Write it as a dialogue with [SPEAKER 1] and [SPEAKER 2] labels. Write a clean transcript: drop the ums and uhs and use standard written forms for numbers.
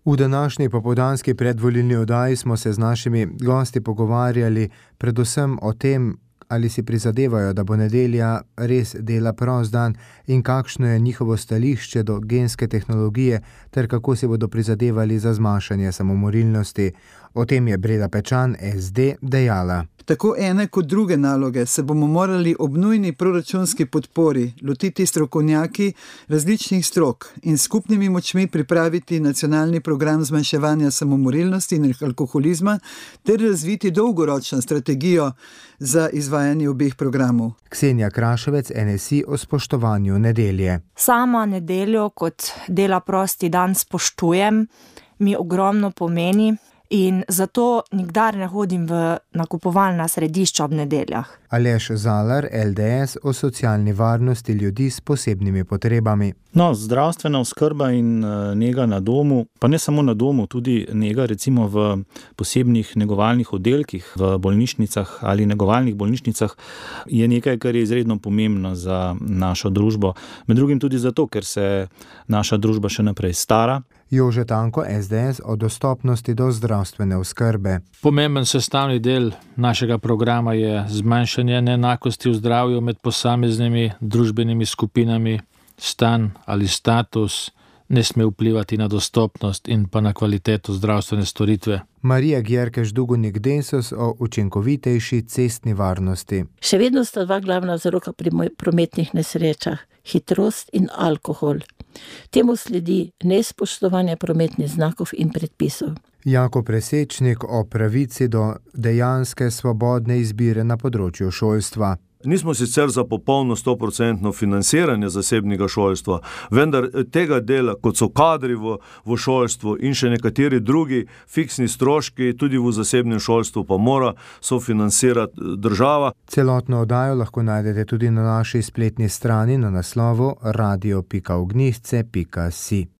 [SPEAKER 1] V današnji popoldanski predvolilni oddaji smo se z našimi gosti pogovarjali predvsem o tem, ali si prizadevajo, da bo nedelja res dela prost dan in kakšno je njihovo stališče do genske tehnologije ter kako si bodo prizadevali za zmanjšanje samomorilnosti. O tem je Breda Pečan, SD, dejala.
[SPEAKER 2] Tako ene kot druge naloge se bomo morali ob nujni proračunski podpori lotiti strokovnjaki različnih strok in skupnimi močmi pripraviti nacionalni program zmanjševanja samomorilnosti in alkoholizma ter razviti dolgoročno strategijo za izvajanje obeh programov.
[SPEAKER 1] Ksenija Kraševec, NSI, o spoštovanju nedelje.
[SPEAKER 3] Sama nedeljo kot dela prosti dan spoštujem, mi ogromno pomeni. In zato nikdar ne hodim v nakupovalna središča ob nedeljah.
[SPEAKER 1] Aleš Zalar, LDS, o socialni varnosti ljudi s posebnimi potrebami.
[SPEAKER 4] Zdravstvena oskrba in nega na domu, pa ne samo na domu, tudi nega recimo v posebnih negovalnih oddelkih, v bolnišnicah ali negovalnih bolnišnicah, je nekaj, kar je izredno pomembno za našo družbo. Med drugim tudi zato, ker se naša družba še naprej stara.
[SPEAKER 1] Jože Tanko, SDS, o dostopnosti do zdravstvene oskrbe.
[SPEAKER 5] Pomemben sestavni del našega programa je zmanjšanje neenakosti v zdravju med posameznimi družbenimi skupinami. Stan ali status ne sme vplivati na dostopnost in pa na kvaliteto zdravstvene storitve.
[SPEAKER 1] Marija Gjerkeš-Dugonik Desus o učinkovitejši cestni varnosti.
[SPEAKER 6] Še vedno sta dva glavna vzroka pri prometnih nesrečah, hitrost in alkohol. Temu sledi nespoštovanje prometnih znakov in predpisov.
[SPEAKER 1] Jako Presečnik o pravici do dejanske svobodne izbire na področju šolstva.
[SPEAKER 7] Nismo sicer za popolno 100% financiranje zasebnega šolstva, vendar tega dela, kot so kadri v šolstvu in še nekateri drugi fiksni stroški, tudi v zasebnem šolstvu pa mora sofinancirati država.
[SPEAKER 1] Celotno oddajo lahko najdete tudi na naši spletni strani na naslovu radio.ognjišče.si.